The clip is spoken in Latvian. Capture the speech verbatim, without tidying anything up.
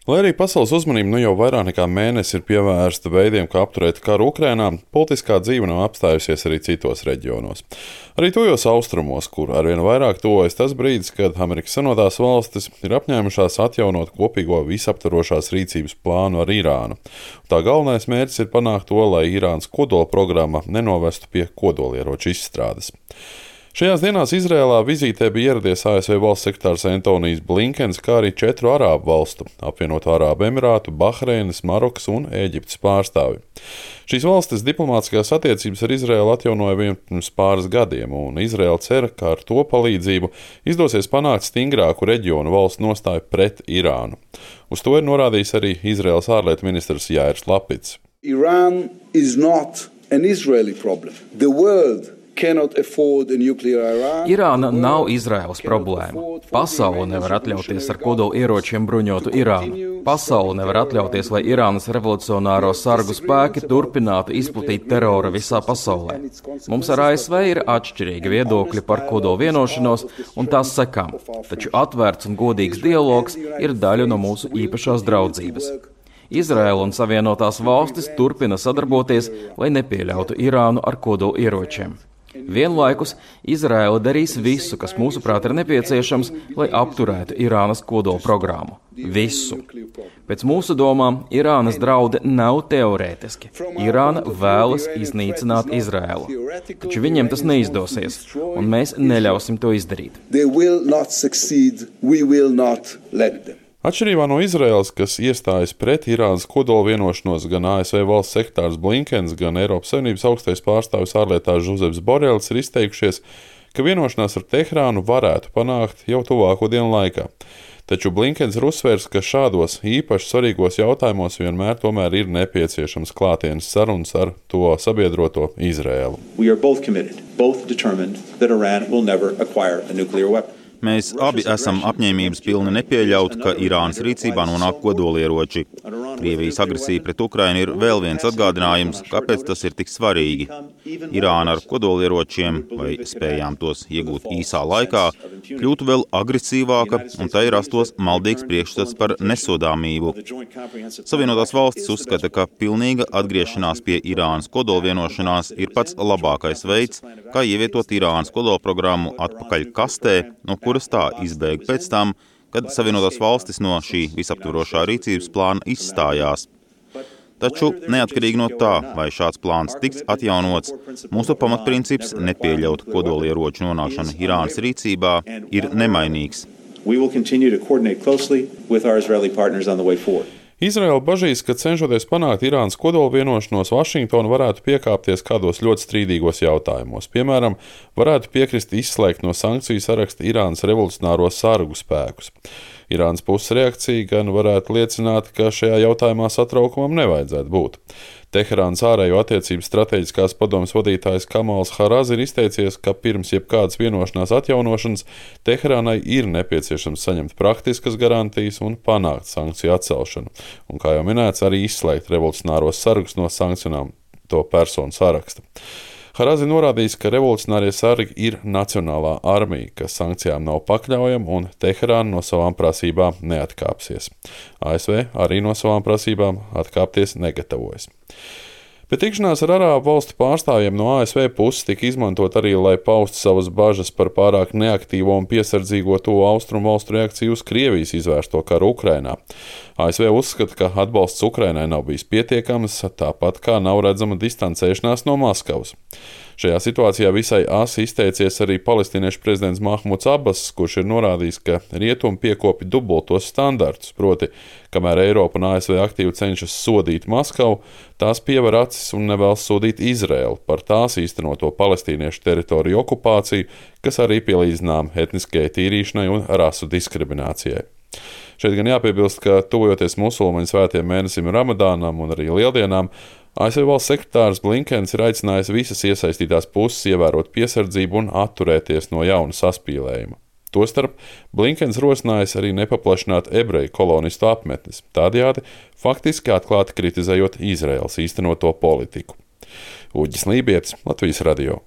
Lai arī pasaules uzmanība nu jau vairāk nekā mēnesi ir pievērsta veidiem, kā apturēt karu Ukrainā, politiskā dzīve nav apstājusies arī citos reģionos. Arī tuvajos austrumos, kur arvien vairāk tuvojas tas brīdis, kad Amerikas Savienotās valstis ir apņēmušās atjaunot kopīgo visaptvarošās rīcības plānu ar Irānu. Tā galvenais mērķis ir panākt to, lai Irānas kodola programma nenovestu pie kodolieroču izstrādes. Šajās dienās Izrēlā vizītē bija ieradies A S V valsts sekretārs Antonijs Blinkens, kā arī četru arābu valstu - Apvienoto Arābu Emirātu, Bahreinas, Marokas un Ēģiptes pārstāvji. Šīs valstis diplomātiskās attiecības ar Izrēlu atjaunoja vien pirms pāris gadiem, un Izrēla cer, ka ar to palīdzību izdosies panākt stingrāku reģionu valstu nostāju pret Irānu. Uz to ir norādījis arī Izrēlas ārlietu ministrs Jāirs Lapidss. Iran is not an Israeli problem. The world Irāna nav Izraēlas problēma. Pasaule nevar atļauties ar kodola ieročiem bruņotu Irānu. Pasaule nevar atļauties, lai Irānas revolucionāro sargu spēki turpinātu izplatīt terora visā pasaulē. Mums ar A S V ir atšķirīgi viedokļi par kodola vienošanos un tās sekām, taču atvērts un godīgs dialogs ir daļa no mūsu īpašās draudzības. Izraēla un Savienotās valstis turpina sadarboties, lai nepieļautu Irānu ar kodola ieročiem. Vienlaikus Izraēla darīs visu, kas mūsuprāt ir nepieciešams, lai apturētu Irānas kodola programmu. Visu. Pēc mūsu domām, Irānas draudi nav teorētiski. Irāna vēlas iznīcināt Izraēlu. Taču viņiem tas neizdosies, un mēs neļausim to izdarīt. Atšķirībā no Izraēlas, kas iestājas pret Irānas kodola vienošanos, gan A S V valsts sekretārs Blinkens, gan Eiropas Savienības augstais pārstāvis ārlietās Žuzeps Borels ir izteikušies, ka vienošanās ar Teherānu varētu panākt jau tuvāko dienu laikā. Taču Blinkens ir uzsvērs, ka šādos īpaši svarīgos jautājumos vienmēr tomēr ir nepieciešams klātienes sarunas ar to sabiedroto Izraēlu. Mēs abi esam apņēmības pilni nepieļaut, ka Irānas rīcībā nonāk kodolieroči. Krievijas agresija pret Ukrainu ir vēl viens atgādinājums, kāpēc tas ir tik svarīgi. Irāna ar kodolieročiem, vai spējām tos iegūt īsā laikā, kļūtu vēl agresīvāka un tai rastos maldīgs priekšstats par nesodāmību. Savienotās valstis uzskata, ka pilnīga atgriešanās pie Irānas kodolvienošanās ir pats labākais veids, kā ievietot Irānas kodolprogrammu atpakaļ kastē, no kuras tā izbēga pēc tam, kad Savienotās valstis no šī visaptvarošā rīcības plāna izstājās. Taču, neatkarīgi no tā, vai šāds plāns tiks atjaunots, mūsu pamatprincips nepieļaut kodolieroču nonākšanu Irānas rīcībā ir nemainīgs. Izraēla bažīs, ka cenšoties panākt Irānas kodola vienošanos, Vašingtona varētu piekāpties kādos ļoti strīdīgos jautājumos. Piemēram, varētu piekrist izslēgt no sankciju saraksta Irānas revolucionāro sargu spēkus. Irānas puses reakcija gan varētu liecināt, ka šajā jautājumā satraukumam nevajadzētu būt. Teherānas ārējo attiecību stratēģiskās padomes vadītājs Kamals Harazi ir izteicies, ka pirms jebkādas vienošanās atjaunošanas Teherānai ir nepieciešams saņemt praktiskas garantijas un panākt sankciju atcelšanu, un, kā jau minēts, arī izslēgt revolucionāros sargus no sankcionēto personu saraksta. Harazi norādījis, ka revolucionārie sargi ir nacionālā armija, kas sankcijām nav pakļaujama un Teherāna no savām prasībām neatkāpsies. A S V arī no savām prasībām atkāpties negatavojas. Bet tikšanās ar arābu valstu pārstāvjiem no A S V puses tika izmantot arī, lai paustu savas bažas par pārāk neaktīvo un piesardzīgo to austrumu valstu reakciju uz Krievijas izvērsto karu Ukrainā. A S V uzskata, ka atbalsts Ukrainai nav bijis pietiekams, tāpat kā nav redzama distancēšanās no Maskavas. Šajā situācijā visai asi izteicies arī palestīniešu prezidents Mahmuds Abbas, kurš ir norādījis, ka rietumi piekopi dubultos standartus, proti, kamēr Eiropa un A S V aktīvi cenšas sodīt Maskavu, tās piever acis un nevēlas sodīt Izraēlu par tās īstenoto palestīniešu teritoriju okupāciju, kas arī pielīdzinām etniskajai tīrīšanai un rasu diskriminācijai. Šeit gan jāpiebilst, ka tuvojoties musulmaņu svētiem mēnesim Ramadānam un arī Lieldienām, A S V valsts sekretārs Blinkens ir aicinājis visas iesaistītās puses ievērot piesardzību un atturēties no jauna saspīlējuma. Tostarp Blinkens rosinājis arī nepaplašināt ebreju kolonistu apmetnes, tādējādi faktiski atklāti kritizējot Izraēlas īstenoto politiku. Uģis Lībietis, Latvijas radio.